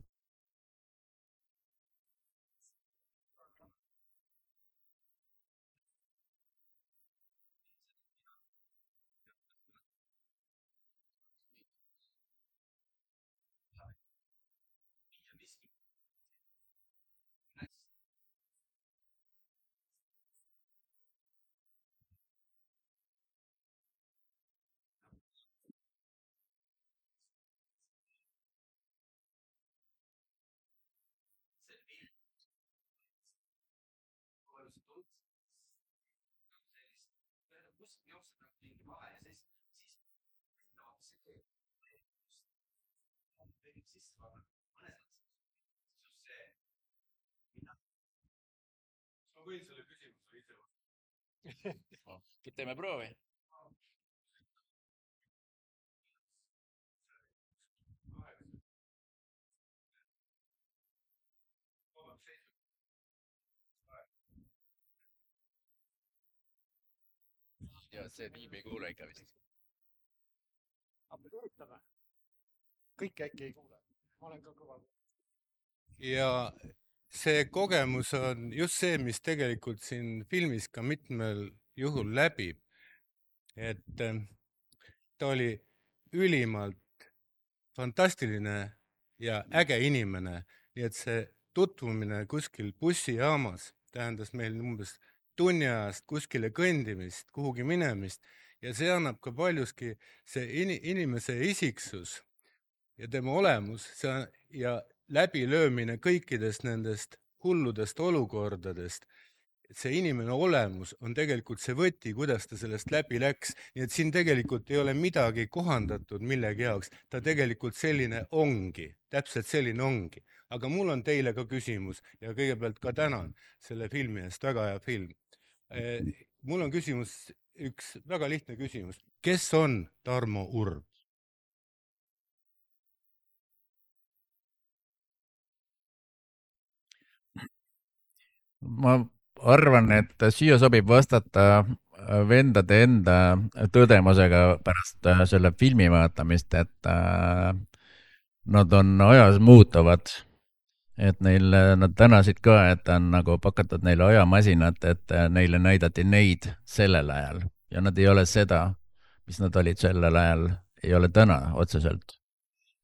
Ma võin selle küsimuse ise võtta. Teeme proovi. Ja see tiim ei kuule ikka vist. Aga me üritame. Kõik äkki ei kuule. Ma olen ka kõva. Ja see kogemus on just see, mis tegelikult siin filmis ka mitmel juhul läbib. Et ta oli ülimalt fantastiline ja äge inimene. Nii et see tutvumine kuskil bussijaamas tähendas meil umbes tunni ajast kuskile kõndimist, kuhugi minemist. Ja see annab ka paljuski see inimese isiksus ja tema olemus see ja läbilöömine kõikidest nendest hulludest olukordadest. See inimene olemus on tegelikult see võti, kuidas ta sellest läbi läks. Nii et siin tegelikult ei ole midagi kohandatud millegi jaoks. Ta tegelikult selline ongi, täpselt selline ongi. Aga mul on teile ka küsimus ja kõigepealt ka tänan selle filmi eest, väga hea film. Mul on küsimus, üks väga lihtne küsimus. Kes on Tarmo Urb? Ma arvan, et siia sobib vastata vendade enda tõdemusega pärast selle filmi vaatamist, et nad on ajas muutuvad. Et neil, nad tänasid ka, et on nagu pakatud neile ajamasinat, et neile näidati neid sellel ajal. Ja nad ei ole seda, mis nad olid sellel ajal, ei ole täna otseselt.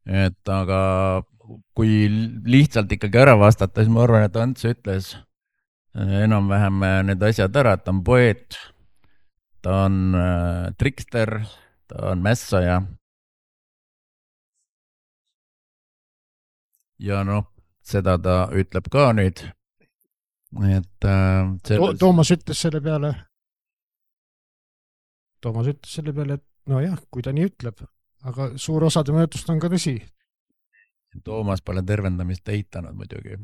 Et aga kui lihtsalt ikkagi ära vastata, siis ma arvan, et Ants ütles enam-vähem need asjad ära, et ta on poeet, ta on äh, trikster, ta on mässaja. Ja noh, seda ta ütleb ka nüüd. Et, äh, selles... Toomas ütles selle peale, Toomas ütles selle peale, et no jah, kui ta nii ütleb, aga suur osa tema jutust on ka tõsi. Toomas pole tervendamist eitanud muidugi.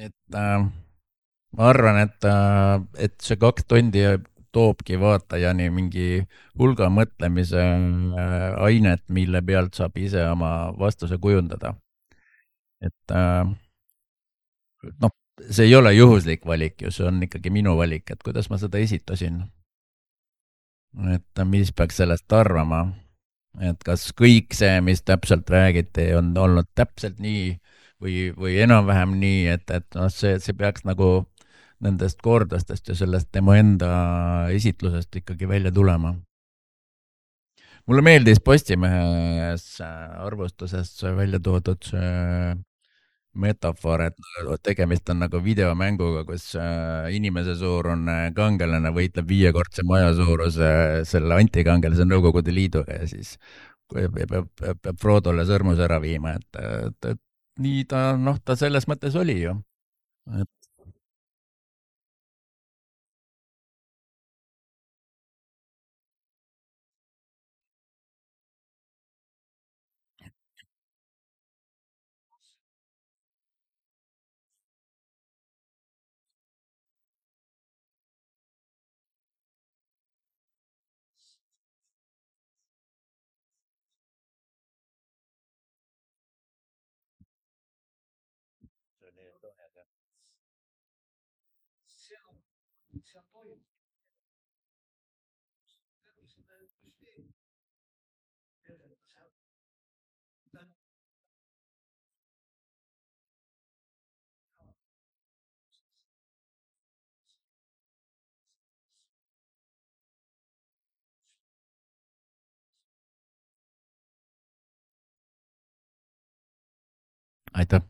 Et äh, ma arvan, et, äh, et see kaks tundi toobki vaatajani mingi hulga mõtlemise äh, ainet, mille pealt saab ise oma vastuse kujundada. Et äh, noh, see ei ole juhuslik valik ju, see on ikkagi minu valik, et kuidas ma seda esitasin. Et mis peaks sellest arvama, et kas kõik see, mis täpselt räägiti, on olnud täpselt nii või, või enam-vähem nii, et, et no, see, see peaks nagu nendest kordastest ja sellest tema enda esitlusest ikkagi välja tulema. Mulle meeldis Postimehes arvustuses välja toodud see metafoor, et tegemist on nagu videomänguga, kus inimese suurune kangelane võitleb viiekordse maja suuruse selle antikangelase Nõukogude Liiduga ja siis peab, peab, peab Frodole sõrmus ära viima, et, et, et nii ta, noh, ta selles mõttes oli ju. Et aitäh.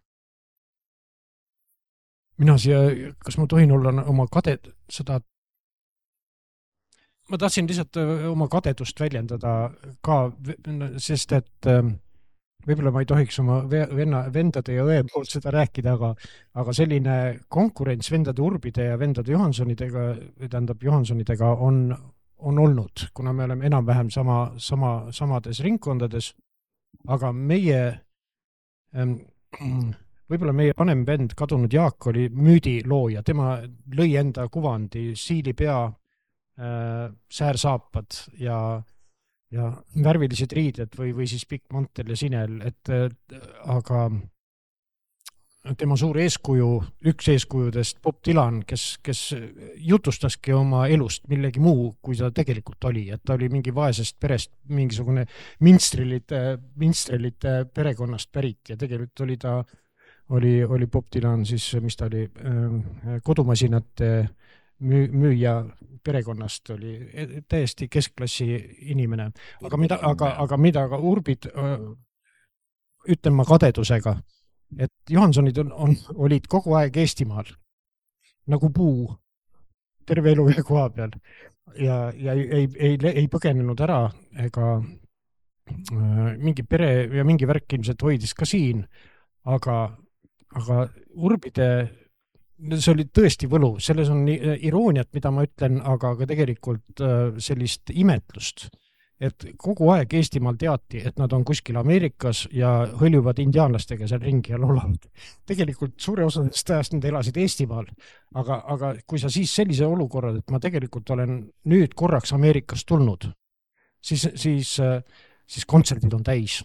Mina siia, kas ma tohin olla oma kaded, seda, ma tahtsin lihtsalt oma kadedust väljendada ka, sest et võib-olla ma ei tohiks oma venna, vendade ja õe poolt seda rääkida, aga, aga selline konkurents vendade Urbide ja vendade Johansonidega, tähendab Johansonidega on, on olnud, kuna me oleme enam-vähem sama, sama, samades ringkondades, aga meie võib-olla meie vanem vend, kadunud Jaak, oli müüdilooja, tema lõi enda kuvandi, siilipea, äh, säärsaapad ja, ja värvilised riided või, või siis pikk mantel ja sinel, et aga tema suur eeskuju, üks eeskujudest Bob Dylan, kes, kes jutustaski oma elust millegi muu, kui ta tegelikult oli, et ta oli mingi vaesest perest, mingisugune minstrelite, minstrelite perekonnast pärit ja tegelikult oli ta oli, oli Bob Dylan siis, mis ta oli, kodumasinate müü, müüja perekonnast, oli täiesti keskklassi inimene. Aga mida, aga, aga mida aga Urbid, ütlen ma kadedusega, et Johansonid on, on, olid kogu aeg Eestimaal, nagu puu, terve elu ühe koha peal ja, ja ei, ei, ei põgenenud ära ega mingi pere ja mingi värk ilmselt hoidis ka siin, aga aga Urbide, see oli tõesti võlu, selles on irooniat, mida ma ütlen, aga ka tegelikult sellist imetlust, et kogu aeg Eestimaal teati, et nad on kuskil Ameerikas ja hõljuvad indiaanlastega seal ringi ja laulavad. Tegelikult suure osadest ajast nad elasid Eestimaal, aga, aga kui sa siis sellise olukorra, et ma tegelikult olen nüüd korraks Ameerikast tulnud, siis, siis, siis kontserdid on täis.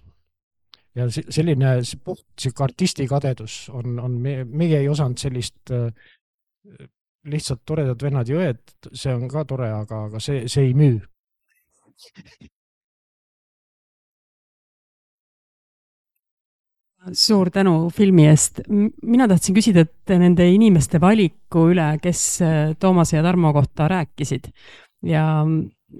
Ja selline puht artisti kadedus on, on meie, meie ei osanud sellist äh, lihtsalt toredad vennad ja õed, see on ka tore, aga, aga see, see ei müü. Suur tänu filmi eest. Mina tahtsin küsida, et nende inimeste valiku üle, kes Toomase ja Tarmo kohta rääkisid ja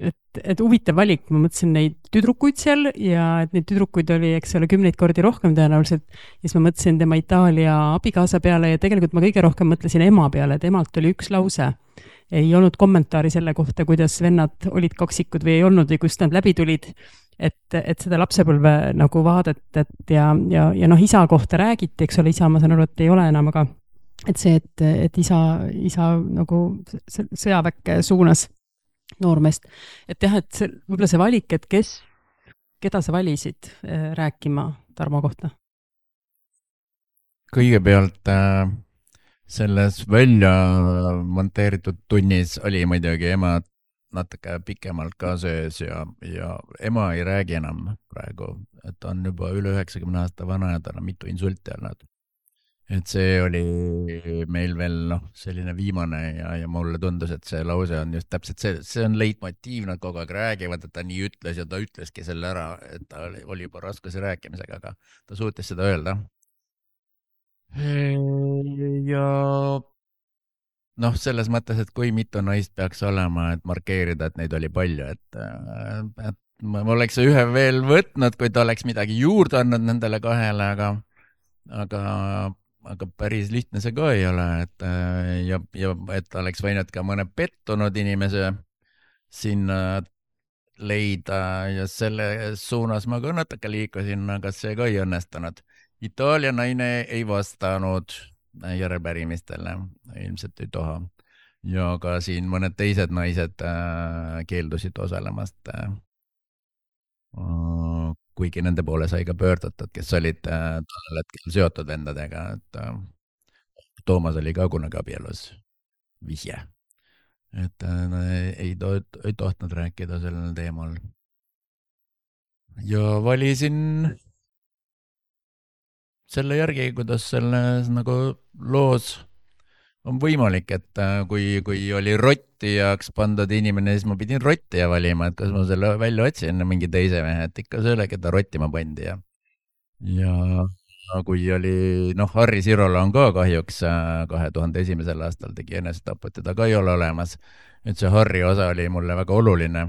et, et huvitav valik, ma mõtlesin neid tüdrukuid seal ja et neid tüdrukuid oli, eks ole, kümneid kordi rohkem tõenäoliselt. Ja siis ma mõtlesin tema Itaalia abikaasa peale ja tegelikult ma kõige rohkem mõtlesin ema peale, et emalt oli üks lause. Ei olnud kommentaari selle kohta, kuidas vennad olid kaksikud või ei olnud või kust nad läbi tulid. Et, et seda lapsepõlve nagu vaadet, et ja, ja, ja noh, isa kohta räägiti, eks ole, isa ma saan aru, et ei ole enam, aga et see, et, et isa, isa nagu sõjaväkke suunas noormeest. Et jah, et see, võib-olla see valik, et kes, keda sa valisid rääkima Tarmo kohta? Kõigepealt äh, selles välja monteeritud tunnis oli muidugi ema natuke pikemalt ka sees ja, ja ema ei räägi enam praegu, et on juba üle üheksakümne aasta vana ja tal on mitu insulti olnud. Et see oli meil veel noh, selline viimane ja, ja mulle tundus, et see lause on just täpselt see, see on leitmotiiv, nad kogu aeg räägivad, et ta nii ütles ja ta ütleski selle ära, et ta oli, oli juba raskuse rääkimisega, aga ta suutis seda öelda. Ja noh, selles mõttes, et kui mitu naist peaks olema, et markeerida, et neid oli palju, et, et ma oleks ühe veel võtnud, kui ta oleks midagi juurde andnud nendele kahele, aga, aga aga päris lihtne see ka ei ole, et ja, ja et oleks võinud ka mõne pettunud inimese sinna leida ja selle suunas ma ka natuke liikusin, aga see ka ei õnnestunud. Itaalia naine ei vastanud järelpärimistele, ilmselt ei toha. Ja ka siin mõned teised naised keeldusid osalemast, kuigi nende poole sai ka pöördatud, kes olid tollel hetkel seotud vendadega, et Toomas oli ka kunagi abielus vihje. Et no, ei, to ei tohtnud rääkida sellel teemal. Ja valisin selle järgi, kuidas selles nagu loos on võimalik, et kui, kui oli rotti jaoks pandud inimene, siis ma pidin rotti ja valima, et kas ma selle välja otsin mingi teise mehe, et ikka selle, keda rottima pandi. Ja, ja kui oli, noh, Harri Sirola on ka kahjuks kahe tuhande esimesel aastal tegi enesetaput, teda ka ei ole olemas. Et see Harri osa oli mulle väga oluline,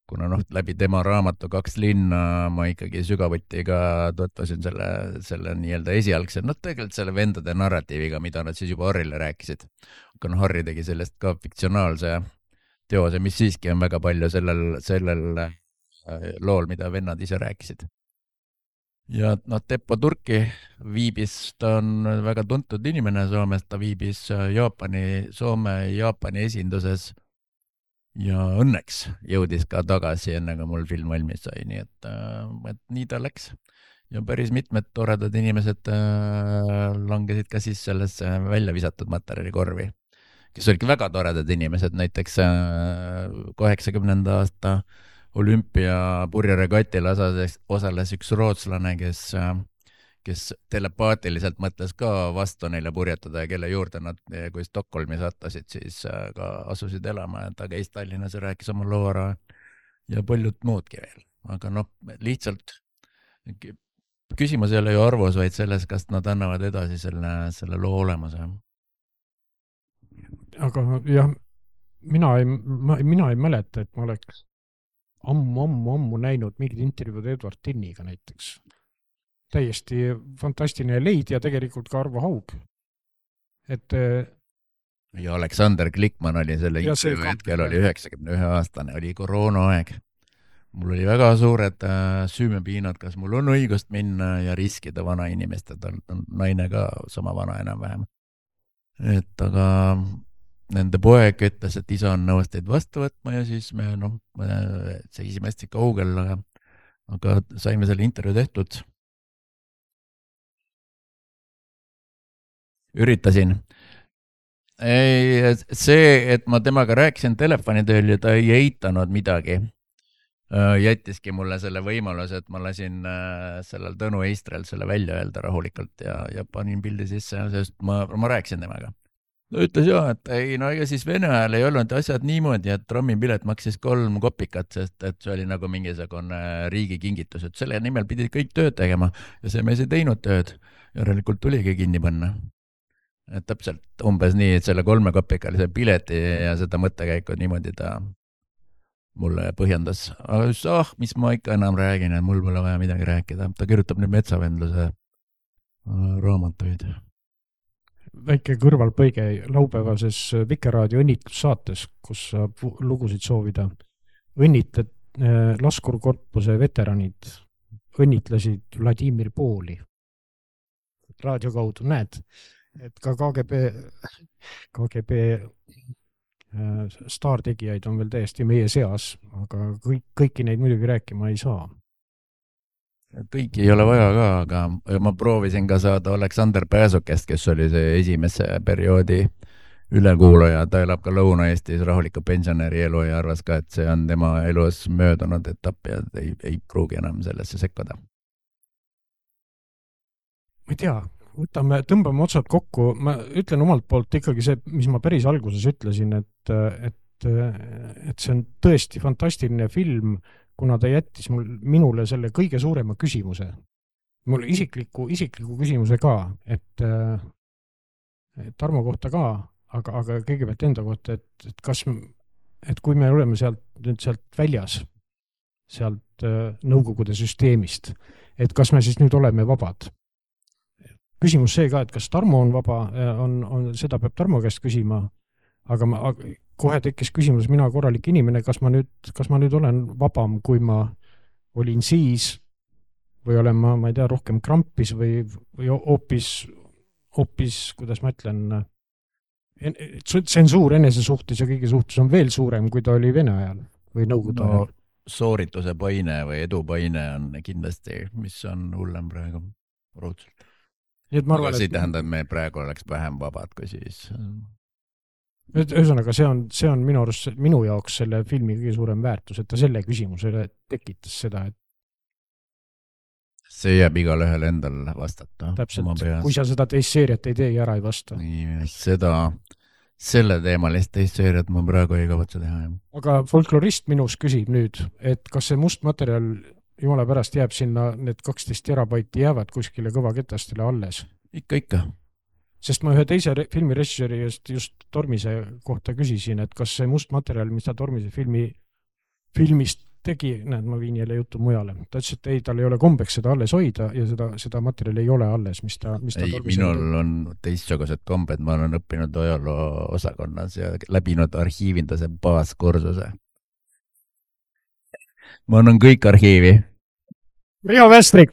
kuna noh, läbi tema raamatu Kaks linna ma ikkagi sügavuti ka tutvusin selle, selle nii-öelda esialgse, noh tegelikult selle vendade narratiiviga, mida nad siis juba Harrile rääkisid. Aga noh, Harri tegi sellest ka fiktsionaalse teose, mis siiski on väga palju sellel, sellel lool, mida vennad ise rääkisid. Ja noh, Teppo Turki viibis, ta on väga tuntud inimene Soomes, ta viibis Jaapani, Soome Jaapani esinduses ja õnneks jõudis ka tagasi, enne kui mul film valmis sai, nii et, et nii ta läks. Ja päris mitmed toredad inimesed langesid ka siis sellesse välja visatud materjalikorvi, kes olidki väga toredad inimesed, näiteks kaheksakümnenda aasta olümpia purjeregatil osales, osales üks rootslane, kes kes telepaatiliselt mõtles ka vastu neile purjetada ja kelle juurde nad, kui Stockholmi sattasid, siis ka asusid elama, et ta käis Tallinnas ja rääkis oma loo ära ja paljud muudki veel. Aga noh, lihtsalt küsimus ei ole ju arvus, vaid selles, kas nad annavad edasi selle, selle loo olemuse. Aga jah, mina ei, mina ei mäleta, et ma oleks ammu, ammu, ammu näinud mingid intervjuud Edward Tinniga näiteks. Täiesti fantastiline leid ja tegelikult ka Arvo Haug. Et, ja Aleksander Klikman oli selle intervjuu hetkel, oli üheksakümne ühe aastane, oli koroona aeg. Mul oli väga suured süümepiinad, kas mul on õigust minna ja riskida vana inimest, et on naine ka sama vana enam-vähem. Et aga nende poeg ütles, et isa on nõus teid vastu võtma ja siis me noh, seisime hästi kaugel, aga, aga saime selle intervjuu tehtud. Üritasin. Ei, see, et ma temaga rääkisin telefonitööl ja ta ei eitanud midagi, jättiski mulle selle võimaluse, et ma lasin sellel Tõnu Eistrel selle välja öelda rahulikult ja, ja panin pildi sisse, sest ma, ma rääkisin temaga. Ta ütles jah, et ei, no ega siis Vene ajal ei olnud asjad niimoodi, et trammipilet maksis kolm kopikat, sest et see oli nagu mingisugune riigi kingitus, et selle nimel pidid kõik tööd tegema ja see mees ei teinud tööd. Järelikult tuligi kinni panna. Et täpselt umbes nii, et selle kolme kopikalise pileti ja seda mõttekäiku niimoodi ta mulle põhjendas. Aga just, ah, mis ma ikka enam räägin, et mul pole vaja midagi rääkida. Ta kirjutab nüüd metsavendluse raamatuid. Väike kõrvalpõige laupäevases Vikerraadio õnnitlussaates, kus saab lugusid soovida. Õnnitled laskurkorpuse veteranid õnnitlesid Vladimir Pooli. Raadio kaudu näed, et ka K G B, K G B staartegijaid on veel täiesti meie seas, aga kõik, kõiki neid muidugi rääkima ei saa. Kõiki ei ole vaja ka, aga ma proovisin ka saada Aleksander Pääsukest, kes oli see esimese perioodi ülekuulaja. Ta elab ka Lõuna-Eestis rahuliku pensionäri elu ja arvas ka, et see on tema elus möödunud etapp ja ei, ei pruugi enam sellesse sekkuda. Ma ei tea, võtame, tõmbame otsad kokku. Ma ütlen omalt poolt ikkagi see, mis ma päris alguses ütlesin, et, et, et see on tõesti fantastiline film, kuna ta jättis mul, minule selle kõige suurema küsimuse. Mul isikliku, isikliku küsimuse ka, et, et Tarmo kohta ka, aga, aga kõigepealt enda kohta, et, et kas, et kui me oleme sealt, sealt väljas, sealt Nõukogude süsteemist, et kas me siis nüüd oleme vabad? küsimus see ka, et kas Tarmo on vaba, on, on, seda peab Tarmo käest küsima, aga ma kohe tekkis küsimus, mina korralik inimene, kas ma nüüd, kas ma nüüd olen vabam, kui ma olin siis või olen ma, ma ei tea, rohkem krampis või, või hoopis, hoopis, kuidas ma ütlen, tsensuur enese suhtes ja kõige suhtes on veel suurem, kui ta oli Vene ajal või Nõukogude ajal. No, soorituse paine või edu paine on kindlasti, mis on hullem praegu ruudselt. Aga see tähendab, et me praegu oleks vähem vabad kui siis. Ühesõnaga, see on, see on minu arust, minu jaoks selle filmi kõige suurem väärtus, et ta selle küsimusele tekitas seda, et see jääb igal ühel endal vastata. Täpselt, kui sa seda teist seeriat ei tee ja ära ei vasta. Nii, seda, selle teemalist teist seeriat ma praegu ei kavatse teha. Aga folklorist minus küsib nüüd, et kas see must materjal jumala pärast jääb sinna, need kaksteist terabaiti jäävad kuskile kõvaketastele alles? Ikka, ikka. Sest ma ühe teise filmi režissööri just, just Tormise kohta küsisin, et kas see must materjal, mis ta Tormise filmi, filmist tegi, näed, ma viin jälle jutu mujale. Ta ütles, et ei, tal ei ole kombeks seda alles hoida ja seda, seda materjali ei ole alles, mis ta, mis ta ei, minul tegi. On teistsugused kombed, ma olen õppinud ajaloo osakonnas ja läbinud arhiivindase baaskursuse. Ma annan kõik arhiivi. Riho Vestrik!